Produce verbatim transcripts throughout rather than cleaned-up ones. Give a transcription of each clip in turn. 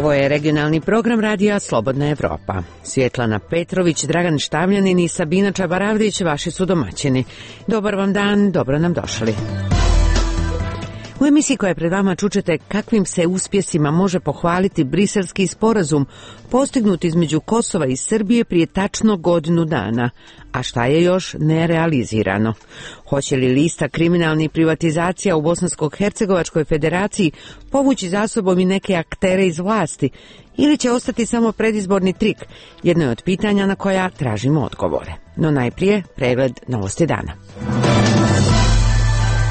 Ovo je regionalni program radija Slobodna Evropa. Svjetlana Petrović, Dragan Štavljanin i Sabina Čabaravdić vaši su domaćini. Dobar vam dan, dobro nam došli. U emisiji koja je pred vama čućete kakvim se uspjesima može pohvaliti briselski sporazum postignut između Kosova i Srbije prije tačno godinu dana, a šta je još nerealizirano. Hoće li lista kriminalnih privatizacija u Bosansko-Hercegovačkoj federaciji povući za sobom i neke aktere iz vlasti ili će ostati samo predizborni trik, jedno je od pitanja na koja tražimo odgovore. No najprije pregled novosti dana.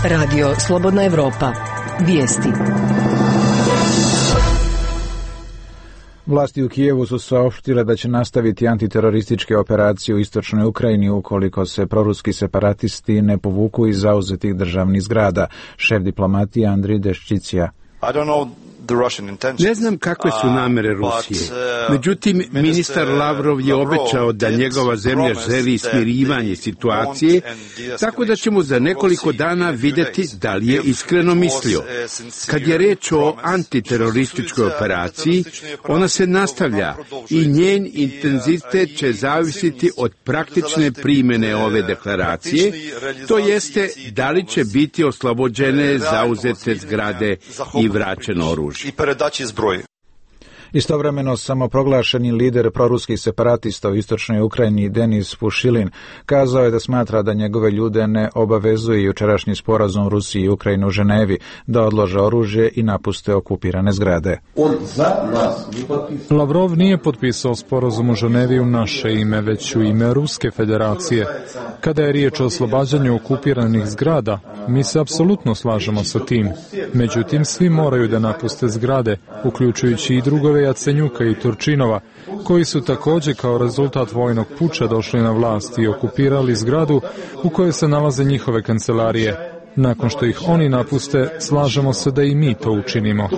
Radio Slobodna Evropa. Vijesti. Vlasti u Kijevu su saopštile da će nastaviti antiterorističke operacije u istočnoj Ukrajini ukoliko se proruski separatisti ne povuku iz zauzetih državnih zgrada. Šef diplomatije Andrij Deščicija. Ne znam kakve su namere Rusije. Međutim, ministar Lavrov je obećao da njegova zemlja želi smirivanje situacije, tako da ćemo za nekoliko dana vidjeti da li je iskreno mislio. Kad je reč o antiterorističkoj operaciji, ona se nastavlja i njen intenzitet će zavisiti od praktične primjene ove deklaracije, to jeste da li će biti oslobođene zauzete zgrade i vraćeno oružje. I передачі зброї. Istovremeno samoproglašeni lider proruskih separatista u istočnoj Ukrajini Denis Pušilin kazao je da smatra da njegove ljude ne obavezuje jučerašnji sporazum Rusiji i Ukrajine u Ženevi da odlože oružje i napuste okupirane zgrade. Lavrov nije potpisao sporazum u Ženevi u naše ime, već u ime Ruske federacije. Kada je riječ o oslobađanju okupiranih zgrada, mi se apsolutno slažemo sa tim. Međutim, svi moraju da napuste zgrade, uključujući i drugove Jacenjuka i Turčinova, koji su također kao rezultat vojnog puča došli na vlast i okupirali zgradu u kojoj se nalaze njihove kancelarije. Nakon što ih oni napuste, slažemo se da i mi to učinimo.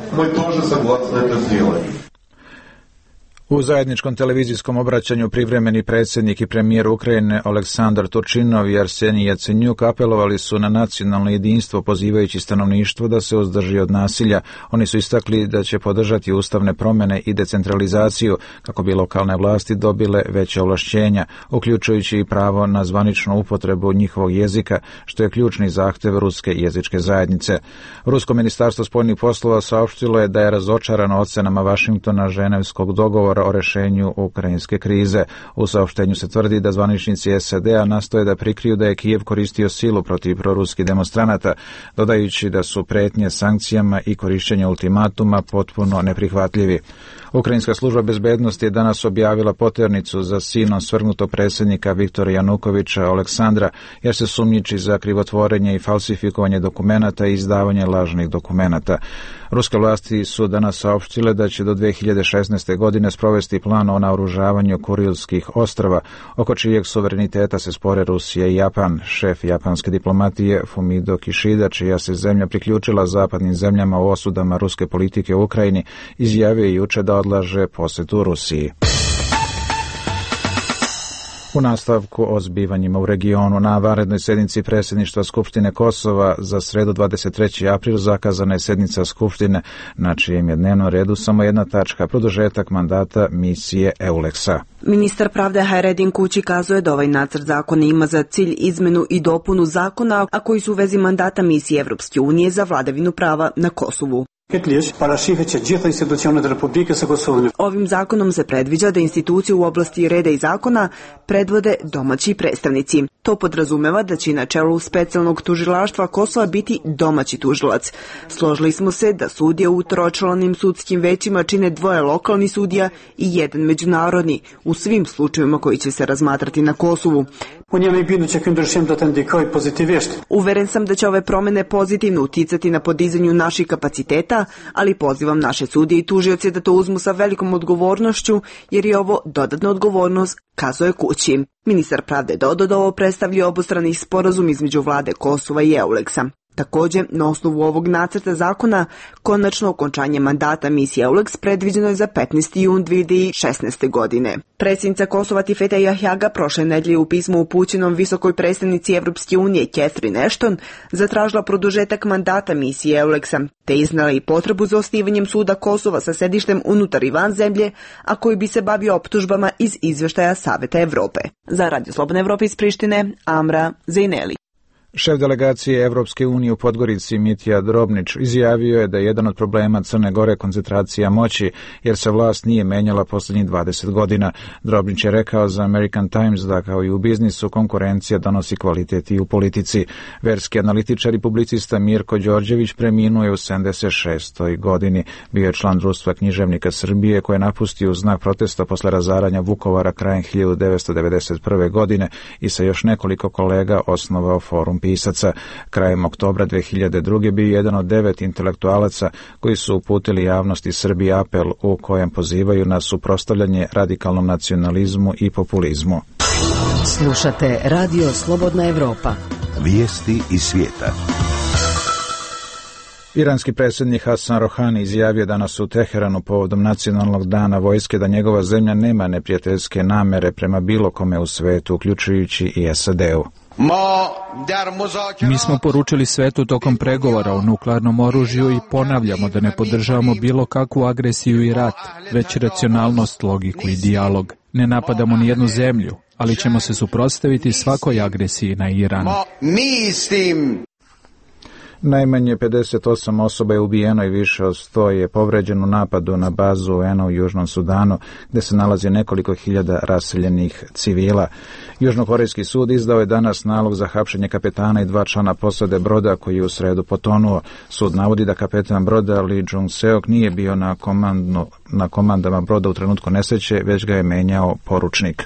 U zajedničkom televizijskom obraćanju privremeni predsjednik i premijer Ukrajine Oleksandar Turčinov i Arsenij Jacenjuk apelovali su na nacionalno jedinstvo pozivajući stanovništvo da se uzdrži od nasilja. Oni su istakli da će podržati ustavne promjene i decentralizaciju kako bi lokalne vlasti dobile veće ovlašćenja, uključujući i pravo na zvaničnu upotrebu njihovog jezika, što je ključni zahtjev ruske jezičke zajednice. Rusko ministarstvo spoljnih poslova saopštilo je da je razočarano ocenama Vašingtona ženevskog dogovora o rješenju ukrajinske krize. U saopštenju se tvrdi da zvaničnici S A D-a nastoje da prikriju da je Kijev koristio silu protiv proruskih demonstranata, dodajući da su prijetnje sankcijama i korištenje ultimatuma potpuno neprihvatljivi. Ukrajinska služba bezbednosti je danas objavila poternicu za sinom svrgnutog predsjednika Viktora Janukovića Aleksandra, jer se sumnjiči za krivotvorenje i falsifikovanje dokumenata i izdavanje lažnih dokumenata. Ruske vlasti su danas saopštile da će do dvije hiljade šesnaeste. godine sprovesti plan o naoružavanju Kurilskih ostrava, oko čijeg suvereniteta se spore Rusija i Japan. Šef japanske diplomatije Fumio Kishida, čija se zemlja priključila zapadnim zemljama u osudama ruske politike u Ukrajini, izjavio je jučer da odlaže posjetu Rusiji. U nastavku o zbivanjima u regionu, na vanrednoj sjednici predsjedništva Skupštine Kosova za sredu dvadeset treći april zakazana je sjednica Skupštine, na čijem je dnevnom redu samo jedna tačka, produžetak mandata misije EULEX-a. Ministar pravde Hayreddin Kući kazuje da ovaj nacrt zakona ima za cilj izmenu i dopunu zakona, a koji su u vezi mandata misije Evropske unije za vladavinu prava na Kosovu. Ovim zakonom se predviđa da institucije u oblasti reda i zakona predvode domaći predstavnici. To podrazumeva da će na čelu specijalnog tužilaštva Kosova biti domaći tužilac. Složili smo se da sudije u tročlanim sudskim većima čine dvoje lokalnih sudija i jedan međunarodni, u svim slučajevima koji će se razmatrati na Kosovu. Uveren sam da će ove promjene pozitivno uticati na podizanju naših kapaciteta, ali pozivam naše sudije i tužioce da to uzmu sa velikom odgovornošću, jer je ovo dodatna odgovornost, kazuje Kući. Ministar pravde dodao da ovo predstavlja obostrani sporazum između vlade Kosova i EULEX-a. Također, na osnovu ovog nacrta zakona, konačno okončanje mandata misije EULEX predviđeno je za petnaesti jun dve hiljade šesnaeste. godine. Predsjednica Kosova Tifeta Jahjaga prošle nedelje u pismu upućenom visokoj predstavnici Evropske unije Catherine Ashton zatražila produžetak mandata misije EULEX-a, te iznala i potrebu za osnivanjem suda Kosova sa sedištem unutar i van zemlje, a koji bi se bavio optužbama iz izvještaja Saveta Evrope. Za Radio Slobodne Evrope iz Prištine, Amra Zejneli. Šef delegacije Evropske unije u Podgorici Mitja Drobnić izjavio je da je jedan od problema Crne Gore koncentracija moći, jer se vlast nije menjala posljednjih dvadeset godina. Drobnić je rekao za American Times da kao i u biznisu konkurencija donosi kvalitet i u politici. Verski analitičar i publicista Mirko Đorđević preminuo je u sedamdeset šestoj. godini. Bio je član Društva književnika Srbije koje je napustio u znak protesta posle razaranja Vukovara krajem hiljadu devetsto devedeset prve. godine i sa još nekoliko kolega osnovao Forum pisaca. Krajem oktobra dve hiljade druge. bio jedan od devet intelektualaca koji su uputili javnosti Srbiji apel u kojem pozivaju na suprotstavljanje radikalnom nacionalizmu i populizmu. Slušate Radio Slobodna Evropa. Vijesti iz svijeta. Iranski predsjednik Hasan Rohani izjavio danas u Teheranu povodom nacionalnog dana vojske da njegova zemlja nema neprijateljske namere prema bilo kome u svetu, uključujući i S A D-u. Mi smo poručili svetu tokom pregovora o nuklearnom oružju i ponavljamo da ne podržavamo bilo kakvu agresiju i rat, već racionalnost, logiku i dijalog. Ne napadamo ni jednu zemlju, ali ćemo se suprotstaviti svakoj agresiji na Iran. Najmanje pedeset osam osoba je ubijeno i više od sto je povređeno u napadu na bazu U N-a u Južnom Sudanu, gdje se nalazi nekoliko hiljada raseljenih civila. Južnokorejski sud izdao je danas nalog za hapšenje kapetana i dva člana posade broda koji je u sredu potonuo. Sud navodi da kapetan broda Lee Jung-seok nije bio na, komandno, na komandama broda u trenutku nesreće, već ga je menjao poručnik.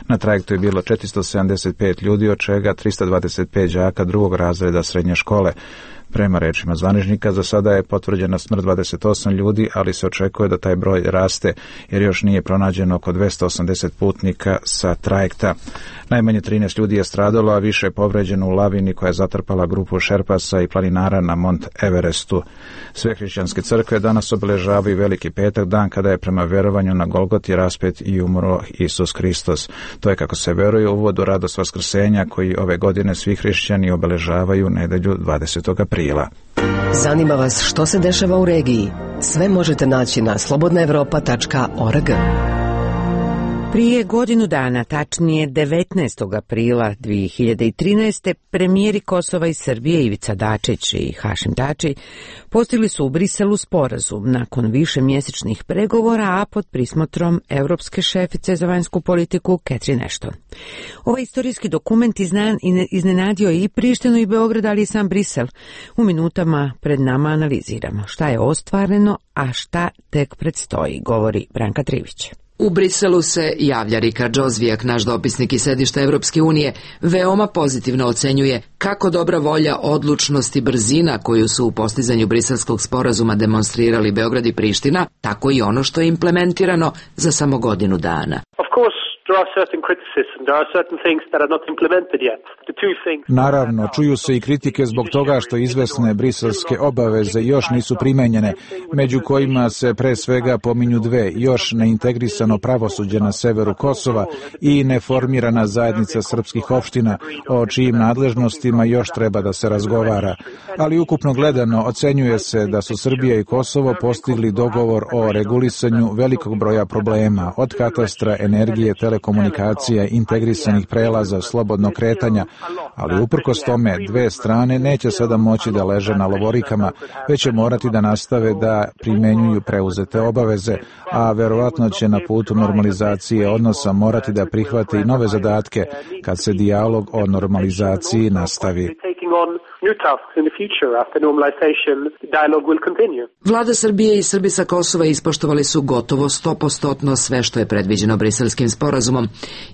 Na trajektu je bilo četiristo sedamdeset pet ljudi, od čega tristo dvadeset pet đaka drugog razreda srednje škole. Prema rečima zvaničnika, za sada je potvrđena smrt dvadeset osam ljudi, ali se očekuje da taj broj raste, jer još nije pronađeno oko dvesta osamdeset putnika sa trajekta. Najmanje trinaest ljudi je stradalo, a više je povređeno u lavini koja je zatrpala grupu šerpasa i planinara na Mont Everestu. Sve hrišćanske crkve danas obeležavaju Veliki petak, dan kada je prema verovanju na Golgoti raspet i umro Isus Hristos. To je, kako se veruje, uvod u radost Vaskrsenja koji ove godine svi hrišćani obeležavaju nedelju dvadesetog aprila. Zanima vas što se dešava u regiji? Sve možete naći na slobodna evropa tačka org. Prije godinu dana, tačnije devetnaestog aprila dve hiljade trinaeste. premijeri Kosova i Srbije Ivica Dačić i Hašim Tači postigli su u Briselu sporazum nakon višemjesečnih pregovora, a pod prismotrom europske šefice za vanjsku politiku Catherine Ashton. Ovaj istorijski dokument iznenadio i Prištinu i Beograd, ali i sam Brisel. U minutama pred nama analiziramo šta je ostvareno, a šta tek predstoji, govori Branka Trivić. U Briselu se javlja Rikard Džozvijak, naš dopisnik iz sedišta Evropske unije, veoma pozitivno ocenjuje kako dobra volja, odlučnost i brzina koju su u postizanju briselskog sporazuma demonstrirali Beograd i Priština, tako i ono što je implementirano za samo godinu dana. Naravno, čuju se i kritike zbog toga što izvesne briselske obaveze još nisu primenjene, među kojima se pre svega pominju dve, još neintegrisano pravosuđe na severu Kosova i neformirana zajednica srpskih opština, o čijim nadležnostima još treba da se razgovara. Ali ukupno gledano, ocenjuje se da su Srbija i Kosovo postigli dogovor o regulisanju velikog broja problema, od katastra, energije, telekomunikacija, integrisanih prelaza, slobodnog kretanja, ali uprkos tome dve strane neće sada moći da leže na lovorikama, već će morati da nastave da primenjuju preuzete obaveze, a verovatno će na putu normalizacije odnosa morati da prihvate i nove zadatke kad se dijalog o normalizaciji nastavi. Vlada Srbije i Srbi sa Kosova ispoštovali su gotovo sto posto sve što je predviđeno briselskim sporazumom,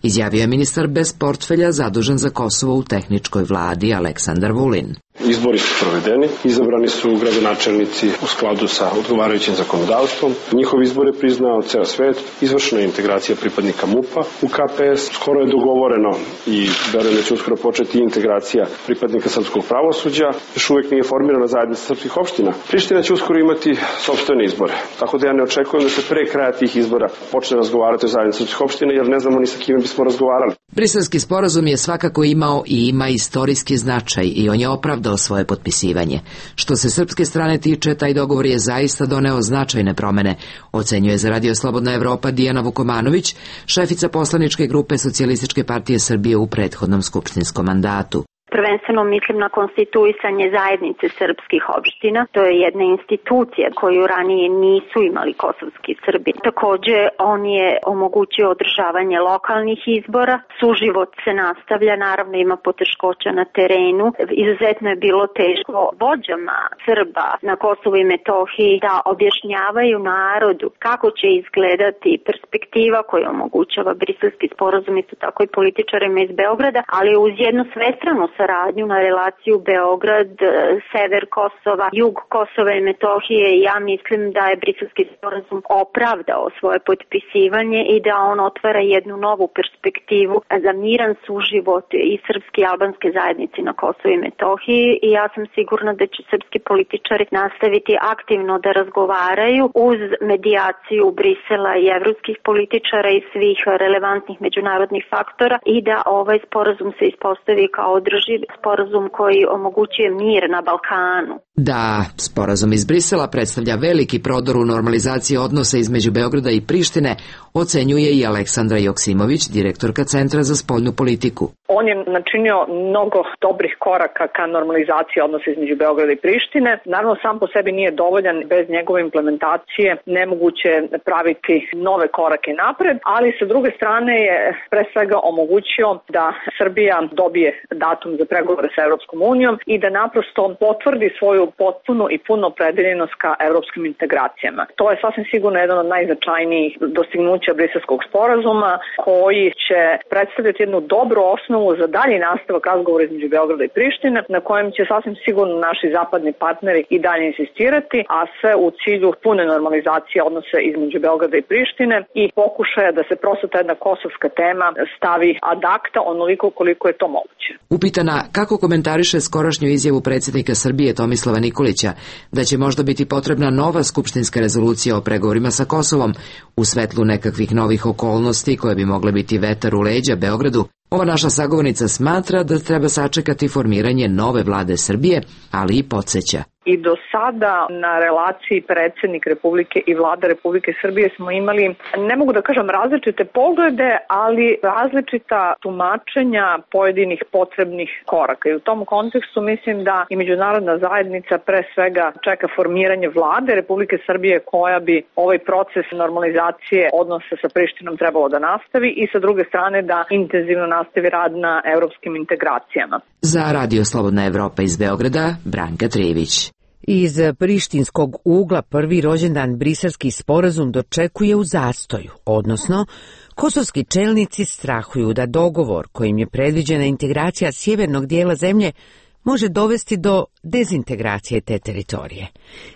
izjavio je ministar bez portfelja zadužen za Kosovo u tehničkoj vladi Aleksandar Vulin. Izbori su provedeni, izabrani su gradonačelnici u skladu sa odgovarajućim zakonodavstvom. Njihov izbor je priznao ceo svet, izvršena je integracija pripadnika M U P-a u K P S, skoro je dogovoreno i verujem da će uskoro početi integracija pripadnika srpskog pravosuđa pravosuđa, još uvijek nije formirana zajednica srpskih opština. Priština će uskoro imati sopstvene izbore, tako da ja ne očekujem da se pre kraja tih izbora počne razgovarati o zajednici srpskih opština, jer ne znamo ni sa kime bismo razgovarali. Briselski sporazum je svakako imao i ima istorijski značaj i on je opravdao svoje potpisivanje. Što se srpske strane tiče, taj dogovor je zaista doneo značajne promene, ocenjuje za Radio Slobodna Evropa Dijana Vukomanović, šefica poslaničke grupe Socijalističke partije Srbije u prethodnom skupštinskom mandatu. Prvenstveno mislim na konstituisanje zajednice srpskih opština. To je jedna institucija koju ranije nisu imali kosovski Srbi. Takođe, on je omogućio održavanje lokalnih izbora. Suživot se nastavlja, naravno ima poteškoća na terenu. Izuzetno je bilo teško vođama Srba na Kosovu i Metohiji da objašnjavaju narodu kako će izgledati perspektiva koju omogućava Briselski sporazum, isto tako i političarima iz Beograda, ali uz jednu svestranu saradnju na relaciju Beograd, sever Kosova, jug Kosova i Metohije. Ja mislim da je Briselski sporazum opravdao svoje potpisivanje i da on otvara jednu novu perspektivu za miran suživot i srpske i albanske zajednice na Kosovu i Metohiji i ja sam sigurna da će srpski političari nastaviti aktivno da razgovaraju uz medijaciju Brisela i evropskih političara i svih relevantnih međunarodnih faktora i da ovaj sporazum se ispostavi kao održiv sporazum koji omogućuje mir na Balkanu. Da, sporazum iz Brisela predstavlja veliki prodor u normalizaciji odnosa između Beograda i Prištine, ocenjuje i Aleksandra Joksimović, direktorka Centra za spoljnu politiku. On je načinio mnogo dobrih koraka ka normalizaciji odnosa između Beograda i Prištine. Naravno, sam po sebi nije dovoljan, bez njegove implementacije nemoguće praviti nove korake napred, ali sa druge strane je pre svega omogućio da Srbija dobije datum za pregovore sa Evropskom unijom i da naprosto potvrdi svoju potpunu i punu opredeljenost ka evropskim integracijama. To je sasvim sigurno jedan od najznačajnijih dostignuća Briselskog sporazuma koji će predstavljati jednu dobru osnovu za dalji nastavak razgovora između Beograda i Prištine, na kojem će sasvim sigurno naši zapadni partneri i dalje insistirati, a sve u cilju pune normalizacije odnose između Beograda i Prištine i pokušaja da se prosto ta jedna kosovska tema stavi ad acta onoliko koliko je to moguće. Upitana kako komentariše skorašnju izjavu predsjednika Srbije Tomislava Nikolića da će možda biti potrebna nova skupštinska rezolucija o pregovorima sa Kosovom u svetlu nekakvih novih okolnosti koje bi mogle biti vetar u leđa Beogradu, ova naša sagovornica smatra da treba sačekati formiranje nove vlade Srbije, ali i podsjeća. I do sada na relaciji predsjednik Republike i vlada Republike Srbije smo imali, ne mogu da kažem različite poglede, ali različita tumačenja pojedinih potrebnih koraka. I u tom kontekstu mislim da i međunarodna zajednica pre svega čeka formiranje vlade Republike Srbije koja bi ovaj proces normalizacije odnosa sa Prištinom trebalo da nastavi i sa druge strane da intenzivno nastavi rad na evropskim integracijama. Za Radio Slobodna Evropa iz Beograda, Branka Trijević. Iz prištinskog ugla prvi rođendan Briselski sporazum dočekuje u zastoju, odnosno kosovski čelnici strahuju da dogovor kojim je predviđena integracija sjevernog dijela zemlje može dovesti do dezintegracije te teritorije.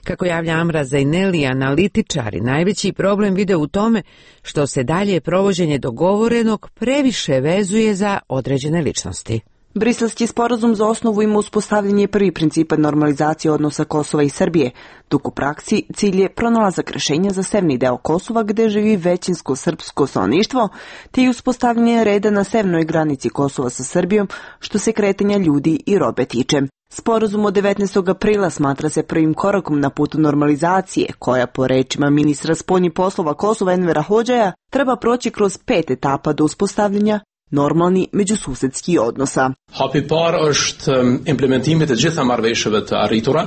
Kako javlja Amra Zaineli, analitičari najveći problem vide u tome što se dalje provođenje dogovorenog previše vezuje za određene ličnosti. Briselski sporazum za osnovu ima uspostavljanje prvi principa normalizacije odnosa Kosova i Srbije, dok u praksi cilj je pronalazak rešenja za severni deo Kosova gde živi većinsko srpsko stanovništvo, te i uspostavljanje reda na severnoj granici Kosova sa Srbijom što se kretanja ljudi i robe tiče. Sporazum od devetnaestog aprila smatra se prvim korakom na putu normalizacije, koja po rečima ministra spoljnih poslova Kosova Envera Hodžaja treba proći kroz pet etapa do uspostavljanja normalni međususedski odnosa.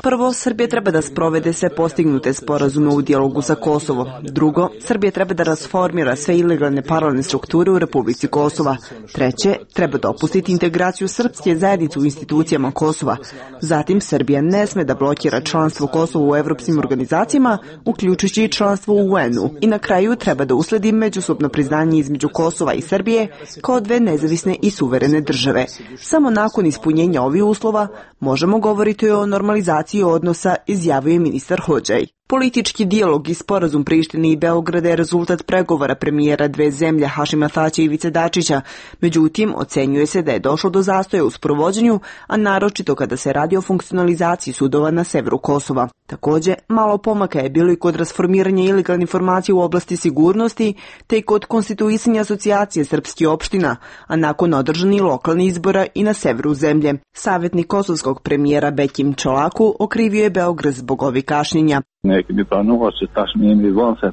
Prvo, Srbija treba da sprovede sve postignute sporazume u dijalogu sa Kosovom. Drugo, Srbija treba da rasformira sve ilegalne paralelne strukture u Republici Kosova. Treće, treba dopustiti integraciju srpske zajednice u institucijama Kosova. Zatim, Srbija ne sme da blokira članstvo Kosova u evropskim organizacijama, uključujući i članstvo u U N-u. I na kraju treba da usledi međusobno priznanje između Kosova i Srbije kao dve nezavisne i suverene države. Samo nakon ispunjenja ovih uslova možemo govoriti o normalizaciji odnosa, izjavio je ministar Hodžaj. Politički dijalog i sporazum Prištine i Beograda je rezultat pregovora premijera dve zemlje Hašima Tačija i Ivice Dačića. Međutim, ocenjuje se da je došlo do zastoja u sprovođenju, a naročito kada se radi o funkcionalizaciji sudova na severu Kosova. Također, malo pomaka je bilo i kod rasformiranja ilegalnih informacija u oblasti sigurnosti, te i kod konstituisanja asocijacije srpskih opština, a nakon održanih lokalnih izbora i na severu zemlje. Savjetnik kosovskog premijera Bekim Čolaku okrivio je Beograd zbog ovih kašnjenja.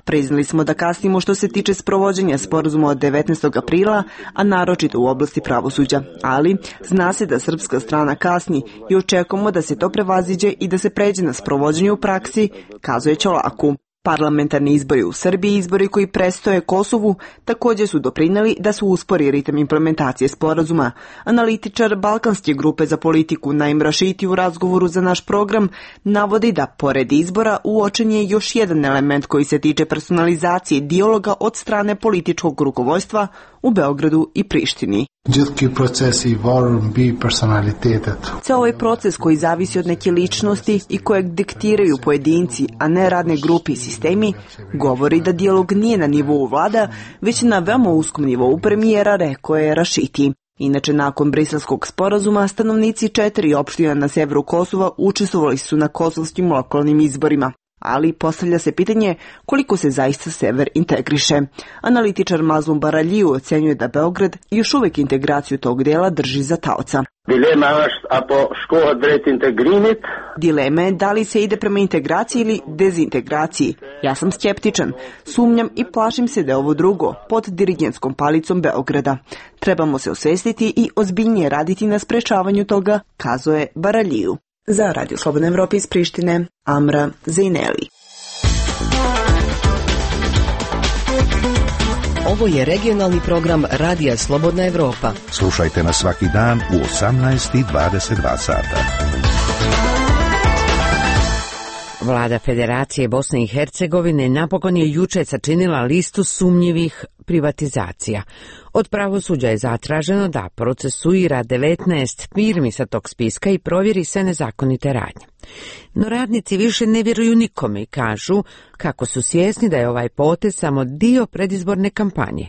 Priznali smo da kasnimo što se tiče sprovođenja sporazuma od devetnaestog aprila, a naročito u oblasti pravosuđa. Ali, zna se da srpska strana kasni i očekujemo da se to prevaziđe i da se pređe na sprovođenje u praksi, kazuje Čolaku. Parlamentarni izbori u Srbiji i izbori koji prestoje Kosovu također su doprinijeli da se uspori ritam implementacije sporazuma. Analitičar Balkanske grupe za politiku Naim Rašiti u razgovoru za naš program navodi da, pored izbora, uočen je još jedan element koji se tiče personalizacije dijaloga od strane političkog rukovodstva u Beogradu i Prištini. Ceo ovaj proces koji zavisi od neke ličnosti i kojeg diktiraju pojedinci, a ne radne grupe i sistemi, govori da dijalog nije na nivou vlada, već na veoma uskom nivou premijera, rekao je Rašiti. Inače, nakon briselskog sporazuma, stanovnici četiri opština na severu Kosova učestvovali su na kosovskim lokalnim izborima. Ali postavlja se pitanje koliko se zaista sever integriše. Analitičar Mazlum Baraljiju ocenjuje da Beograd još uvijek integraciju tog dela drži za taoca. Dilema je da li se ide prema integraciji ili dezintegraciji. Ja sam skeptičan. Sumnjam i plašim se da je ovo drugo, pod dirigentskom palicom Beograda. Trebamo se osvestiti i ozbiljnije raditi na sprečavanju toga, kazuje Baraljiju. Za Radio Slobodna Evropa iz Prištine, Amra Zejneli. Ovo je regionalni program Radija Slobodna Evropa. Slušajte nas svaki dan u osamnaest i dvadeset dva sata. Vlada Federacije Bosne i Hercegovine napokon je juče sačinila listu sumnjivih privatizacija. Od pravosuđa je zatraženo da procesuira devetnaest firmi sa tog spiska i provjeri sve nezakonite radnje. No radnici više ne vjeruju nikome i kažu kako su svjesni da je ovaj potez samo dio predizborne kampanje.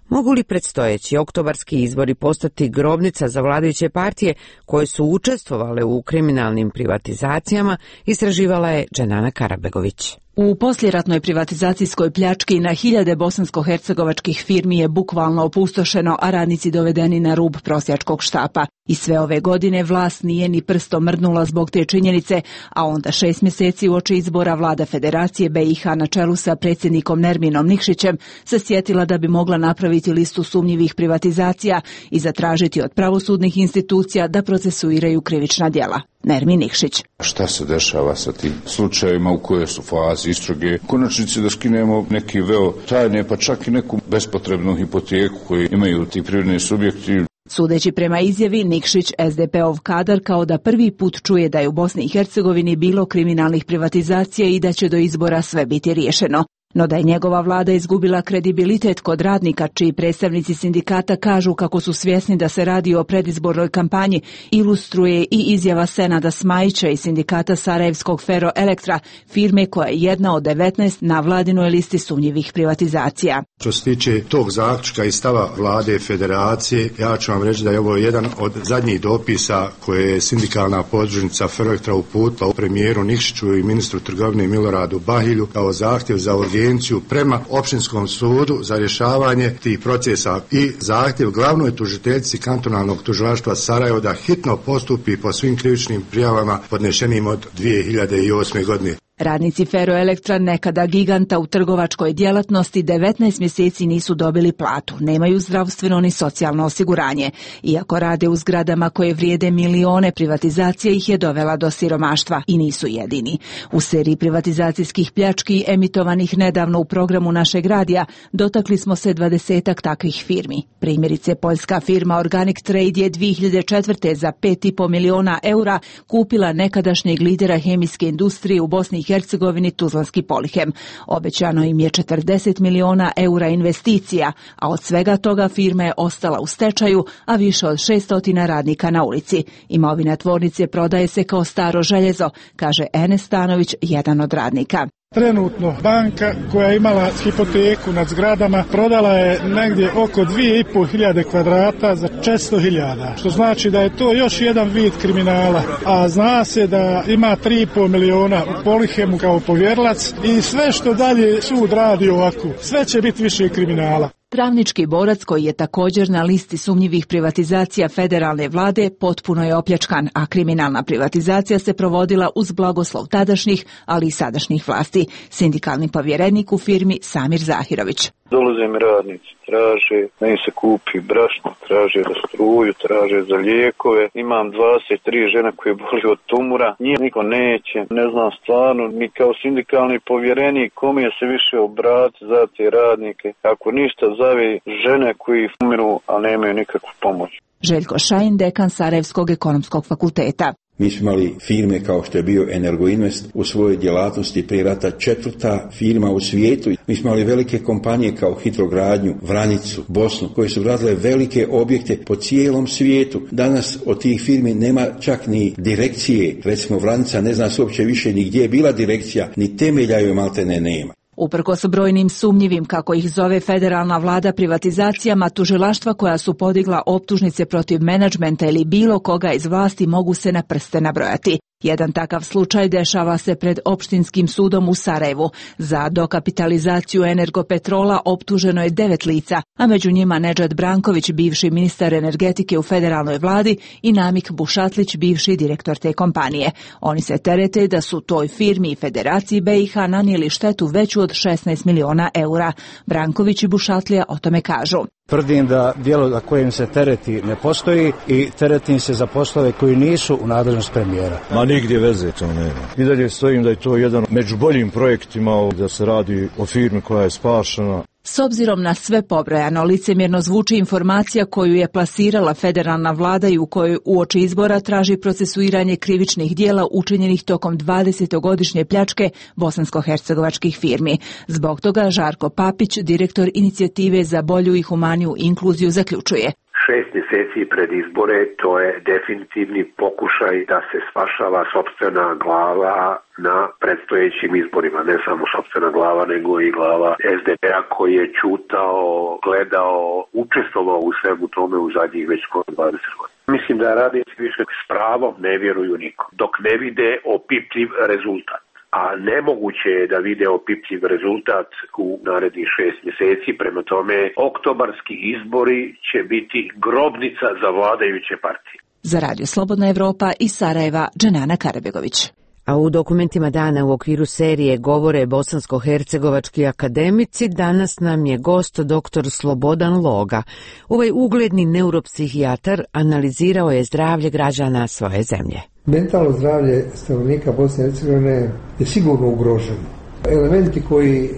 Mogu li predstojeći oktobarski izbori postati grobnica za vladajuće partije koje su učestvovale u kriminalnim privatizacijama, istraživala je Dženana Karabegović. U poslijeratnoj privatizacijskoj pljački na hiljade bosansko-hercegovačkih firmi je bukvalno opustošeno, a radnici dovedeni na rub prosjačkog štapa. I sve ove godine vlast nije ni prstom mrdnula zbog te činjenice, a onda šest mjeseci uoči izbora vlada Federacije B i H na čelu sa predsjednikom Nerminom Nikšićem se sjetila da bi mogla napraviti listu sumnjivih privatizacija i zatražiti od pravosudnih institucija da procesuiraju krivična djela. Nermin Nikšić. Šta se dešava sa tim slučajevima, u kojoj su fazi istrage? U konačnici da skinemo neki veo tajne, pa čak i neku bespotrebnu hipoteku koju imaju ti privredni subjekti. Sudeći prema izjavi, Nikšić, S D P-ov kadar, kao da prvi put čuje da je u Bosni i Hercegovini bilo kriminalnih privatizacija i da će do izbora sve biti riješeno. No da je njegova vlada izgubila kredibilitet kod radnika, čiji predstavnici sindikata kažu kako su svjesni da se radi o predizbornoj kampanji, ilustruje i izjava Senada Smajića i sindikata Sarajevskog Ferroelektra, firme koja je jedna od devetnaest na vladinoj listi sumnjivih privatizacija. Što se tiče tog zaključka i stava vlade Federacije, ja ću vam reći da je ovo jedan od zadnjih dopisa koje je sindikalna podružnica Ferroelektra uputila premijeru Nikšiću i ministru trgovine Miloradu Bahilju kao zahtjev za urgenciju prema opštinskom sudu za rješavanje tih procesa i zahtjev glavnoj tužiteljici kantonalnog tužilaštva Sarajevo da hitno postupi po svim krivičnim prijavama podnešenim od dvije hiljade osme. godine. Radnici Ferroelektra, nekada giganta u trgovačkoj djelatnosti, devetnaest mjeseci nisu dobili platu, nemaju zdravstveno ni socijalno osiguranje. Iako rade u zgradama koje vrijede milione, privatizacija ih je dovela do siromaštva i nisu jedini. U seriji privatizacijskih pljački emitovanih nedavno u programu našeg radija dotakli smo se dvadesetak takvih firmi. Primjerice, poljska firma Organic Trade je dvije hiljade četvrte za pet i po miliona eura kupila nekadašnjeg lidera hemijske industrije u Bosni i Hercegovini Tuzlanski Polihem. Obećano im je četrdeset miliona eura investicija, a od svega toga firma je ostala u stečaju, a više od šesto radnika na ulici. Imovina tvornice prodaje se kao staro željezo, kaže Enes Stanović, jedan od radnika. Trenutno banka koja je imala hipoteku nad zgradama prodala je negdje oko dvije i pol hiljade kvadrata za četiristo hiljada, što znači da je to još jedan vid kriminala, a zna se da ima tri i pol miliona u Polihemu kao povjerilac i sve što dalje sud radi ovako, sve će biti više kriminala. Travnički borac, koji je također na listi sumnjivih privatizacija federalne vlade, potpuno je opljačkan, a kriminalna privatizacija se provodila uz blagoslov tadašnjih, ali i sadašnjih vlasti. Sindikalni povjerenik u firmi Samir Zahirović. Dolaze mi radnici, traže da im se kupi brašno, traže za struju, traže za lijekove. Imam dvadeset tri žene koje boli od tumora, njih niko neće. Ne znam stvarno, ni kao sindikalni povjerenik kome je se više obrati za te radnike. Ako ništa zove žene koji umiru, a nemaju nikakvu pomoć. Željko Šajin, dekan Sarajevskog ekonomskog fakulteta. Mi smo imali firme kao što je bio Energoinvest u svojoj djelatnosti prije rata četvrta firma u svijetu. Mi smo imali velike kompanije kao Hitrogradnju, Vranjicu, Bosnu, koje su radile velike objekte po cijelom svijetu. Danas od tih firmi nema čak ni direkcije. Recimo Vranjica ne zna se uopće više ni gdje je bila direkcija, ni temelja joj maltene nema. Uprkos brojnim sumnjivim, kako ih zove federalna vlada, privatizacijama, tužilaštva koja su podigla optužnice protiv menadžmenta ili bilo koga iz vlasti mogu se na prste nabrojati. Jedan takav slučaj dešava se pred opštinskim sudom u Sarajevu. Za dokapitalizaciju Energopetrola optuženo je devet lica, a među njima Nedžad Branković, bivši ministar energetike u federalnoj vladi, i Namik Bušatlić, bivši direktor te kompanije. Oni se terete da su toj firmi i Federaciji B i H nanijeli štetu veću od šesnaest miliona eura. Branković i Bušatlija o tome kažu. Tvrdim da djelo za kojim se tereti ne postoji i teretim se za poslove koji nisu u nadležnost premijera. Ma nigdje veze to nema. I dalje stojim da je to jedan među boljim projektima, da se radi o firmi koja je spašena. S obzirom na sve pobrojano, licemjerno zvuči informacija koju je plasirala federalna vlada i u kojoj uoči izbora traži procesuiranje krivičnih dijela učinjenih tokom dvadesetogodišnje pljačke bosansko-hercegovačkih firmi. Zbog toga Žarko Papić, direktor inicijative za bolju i humaniju inkluziju, zaključuje. Šest mjeseci pred izbore, to je definitivni pokušaj da se spašava sopstvena glava na predstojećim izborima. Ne samo sopstvena glava, nego i glava S D P-a koji je čutao, gledao, učestvovao u svemu tome u zadnjih već skoro dvadeset godina. Mislim da radnici više s pravom ne vjeruju nikom, dok ne vide opipljiv rezultat. A nemoguće je da vide opipljiv rezultat u narednih šest mjeseci, prema tome oktobarski izbori će biti grobnica za vladajuće partije. Za Radio Slobodna Evropa iz Sarajeva, Dženana Karabegović. A u dokumentima dana u okviru serije Govore bosansko-hercegovački akademici, danas nam je gost doktor Slobodan Loga. Ovaj ugledni neuropsihijatar analizirao je zdravlje građana svoje zemlje. Mentalno zdravlje stanovnika Bosne i Hercegovine je sigurno ugroženo. Elementi koji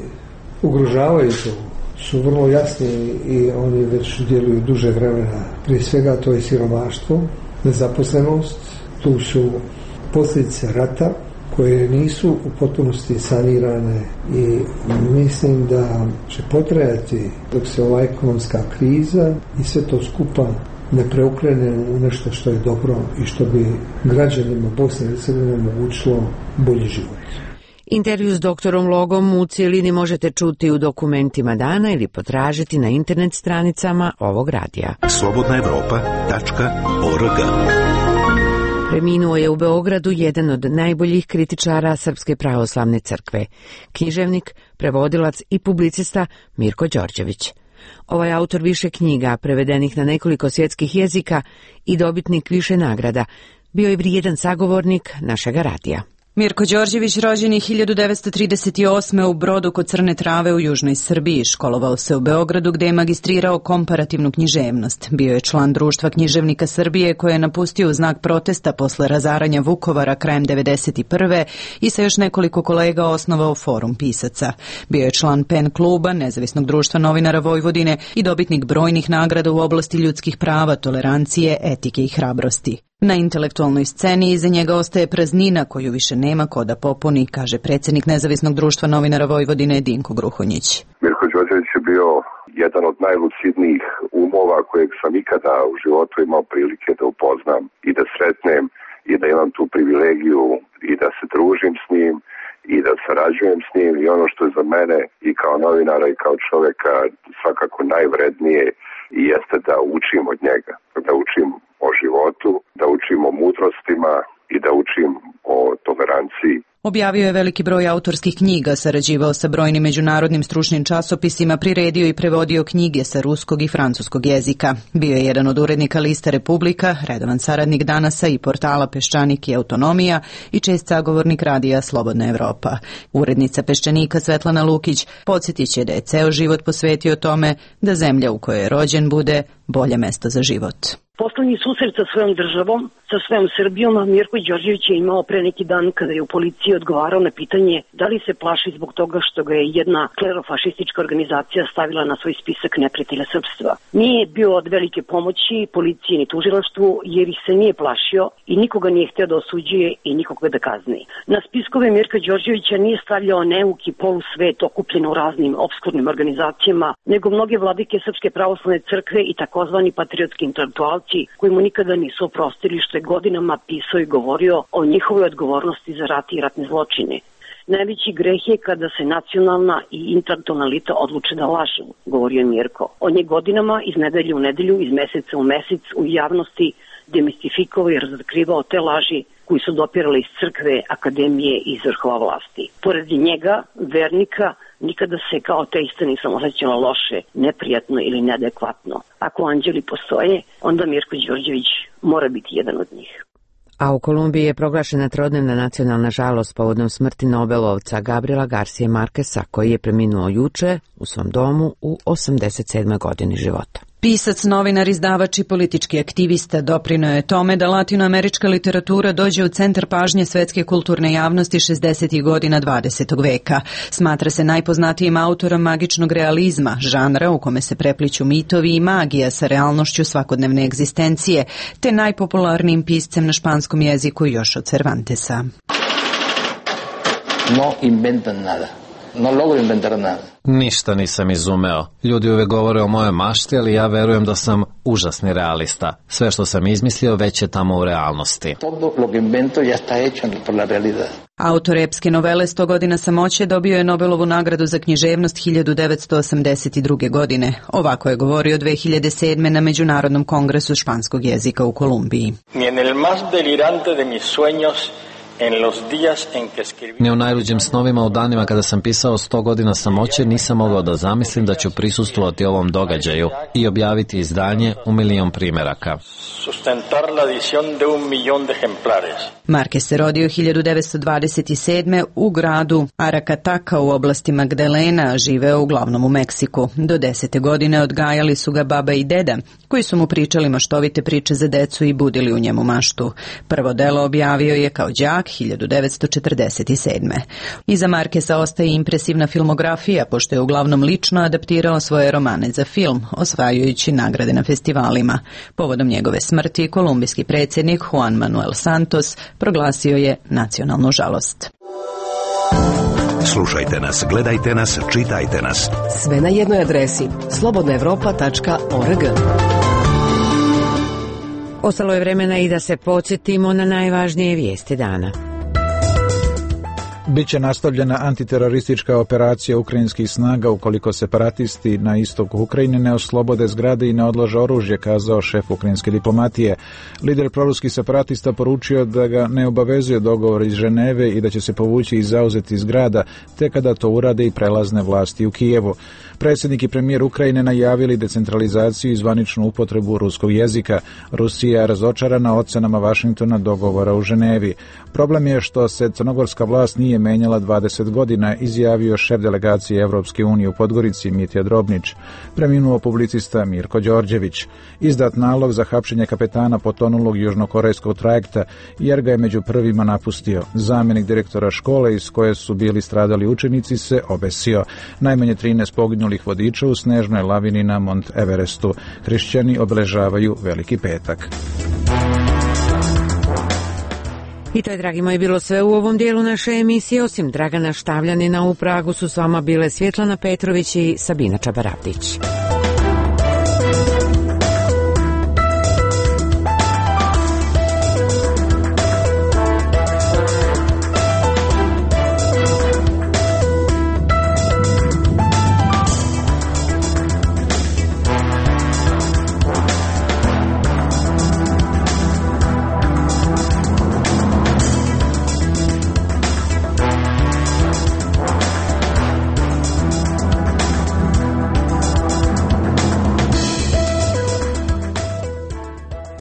ugrožavaju to su vrlo jasni i oni već djeluju duže vremena. Prije svega to je siromaštvo, nezaposlenost, tu su posljedice rata koje nisu u potpunosti sanirane i mislim da će potrajati dok se ova ekonomska kriza i sve to skupa ne preokrene u nešto što je dobro i što bi građanima Bosne i Hercegovine omogućilo bolji život. Intervju s doktorom Logom u cijelini možete čuti u dokumentima dana ili potražiti na internet stranicama ovog radija. slobodna evropa tačka org. Preminuo je u Beogradu jedan od najboljih kritičara Srpske pravoslavne crkve, književnik, prevodilac i publicista Mirko Đorđević. Ovaj autor više knjiga, prevedenih na nekoliko svjetskih jezika i dobitnik više nagrada, bio je vrijedan sagovornik našega radija. Mirko Đorđević rođen je hiljadu devetsto trideset osme. u Brodu kod Crne Trave u južnoj Srbiji. Školovao se u Beogradu gdje je magistrirao komparativnu književnost. Bio je član Društva književnika Srbije koje je napustio u znak protesta posle razaranja Vukovara krajem devedeset prve. i sa još nekoliko kolega osnovao Forum pisaca. Bio je član Pen kluba, Nezavisnog društva novinara Vojvodine i dobitnik brojnih nagrada u oblasti ljudskih prava, tolerancije, etike i hrabrosti. Na intelektualnoj sceni iza njega ostaje praznina koju više nema ko da popuni, kaže predsjednik Nezavisnog društva novinara Vojvodine Dinko Gruhonjić. Mirko Đorđević je bio jedan od najlucidnijih umova kojeg sam ikada u životu imao prilike da upoznam i da sretnem i da imam tu privilegiju i da se družim s njim i da sarađujem s njim, i ono što je za mene i kao novinara i kao čovjeka svakako najvrednije i jeste da učim od njega, da učim o životu, da učim o mudrostima i da učim o toleranciji. Objavio je veliki broj autorskih knjiga, sarađivao sa brojnim međunarodnim stručnim časopisima, priredio i prevodio knjige sa ruskog i francuskog jezika. Bio je jedan od urednika Lista Republika, redovan saradnik Danasa i portala Peščanik i Autonomija i čest sagovornik radija Slobodna Evropa. Urednica Peščanika Svetlana Lukić podsjetit će da je ceo život posvetio tome da zemlja u kojoj je rođen bude bolje mesto za život. Poslednji susret sa svojom državom, sa svojom Srbijom, Mirko Đorđević je imao pre neki dan kada je u policiji odgovarao na pitanje da li se plaši zbog toga što ga je jedna klerofašistička organizacija stavila na svoj spisak neprijatelja srpstva. Nije bio od velike pomoći policiji ni tužilaštvu jer ih se nije plašio i nikoga nije hteo da osuđuje i nikoga da kazni. Na spiskove Mirka Đorđevića nije stavljao neuki polusvet okupljen u raznim opskurnim organizacijama, nego mnoge vladike Srpske pravoslavne crkve i takozvani patriotski intelektualci koji mu nikada nisu oprostili što je godinama pisao i govorio o njihovoj odgovornosti za rat i ratne zločine. Najveći greh je kada se nacionalna i intelektualna elita odluče da lažu, govorio je Mirko. On je godinama iz nedelje u nedelju, iz meseca u mesec u javnosti demistifikovao i razotkrivao te laži koji su dopirali iz crkve, akademije i iz vrhova vlasti. Pored njega, vernika, nikada se kao ateista nisam osjećala loše, neprijatno ili neadekvatno. Ako anđeli postoje, onda Mirko Đorđević mora biti jedan od njih. A u Kolumbiji je proglašena trodnevna nacionalna žalost povodom smrti Nobelovca Gabriela Garcije Markesa, koji je preminuo juče u svom domu u osamdeset sedmoj godini života. Pisac, novinar, izdavač i politički aktivista doprineo je tome da latinoamerička literatura dođe u centar pažnje svetske kulturne javnosti šezdesetih godina dvadesetog veka. Smatra se najpoznatijim autorom magičnog realizma, žanra u kome se prepliću mitovi i magija sa realnošću svakodnevne egzistencije, te najpopularnijim piscem na španskom jeziku još od Cervantesa. No inventan nada. No logro inventar nada. Ništa nisam izumeo. Ljudi uvek govore o mojoj mašti, ali ja verujem da sam užasni realista. Sve što sam izmislio već je tamo u realnosti. Todo lo que invento ya está hecho por la realidad. Autor epske novele sto godina samoće dobio je Nobelovu nagradu za književnost hiljadu devetsto osamdeset druge. godine. Ovako je govorio dve hiljade sedme. na Međunarodnom kongresu španskog jezika u Kolumbiji. Ni en el más delirante de mis sueños Ni u najluđim snovima u danima kada sam pisao sto godina samoće nisam mogao da zamislim da ću prisustvovati ovom događaju i objaviti izdanje u milion primjeraka. Marquez se rodio hiljadu devetsto dvadeset sedme. u gradu Aracataca u oblasti Magdalena, a živeo uglavnom u Meksiku. Do desete godine odgajali su ga baba i deda, koji su mu pričali maštovite priče za decu i budili u njemu maštu. Prvo delo objavio je kao đak hiljadu devetsto četrdeset sedme. Iza Markesa ostaje impresivna filmografija, pošto je uglavnom lično adaptirao svoje romane za film, osvajajući nagrade na festivalima. Povodom njegove smrti, kolumbijski predsjednik Juan Manuel Santos proglasio je nacionalnu žalost. Slušajte nas, gledajte nas, čitajte nas. Sve na jednoj adresi slobodna evropa tačka org. Ostalo je vremena i da se podsjetimo na najvažnije vijesti dana. Biće nastavljena antiteroristička operacija ukrajinskih snaga ukoliko separatisti na istoku Ukrajine ne oslobode zgrade i ne odlože oružje, kazao šef ukrajinske diplomatije. Lider proruskih separatista poručio da ga ne obavezuje dogovor iz Ženeve i da će se povući i zauzeti zgrada, te kada to urade i prelazne vlasti u Kijevu. Predsjednik i premijer Ukrajine najavili decentralizaciju i zvaničnu upotrebu ruskog jezika. Rusija je razočarana ocenama Vašingtona dogovora u Ženevi. Problem je što se crnogorska vlast nije menjala dvadeset godina, izjavio šef delegacije Evropske unije u Podgorici Mitja Drobnić. Preminuo publicista Mirko Đorđević. Izdat nalog za hapšenje kapetana potonulog južnokorejskog trajekta, jer ga je među prvima napustio. Zamjenik direktora škole iz koje su bili stradali učenici se obesio. Najmanje trinaest poginulih vodiča u snežnoj lavini na Mont Everestu. Hrišćani obeležavaju Veliki petak. I to je, dragi moji, bilo sve u ovom dijelu naše emisije. Osim Dragana Štavljanina, u Pragu su s vama bile Svjetlana Petrović i Sabina Čabaravdić.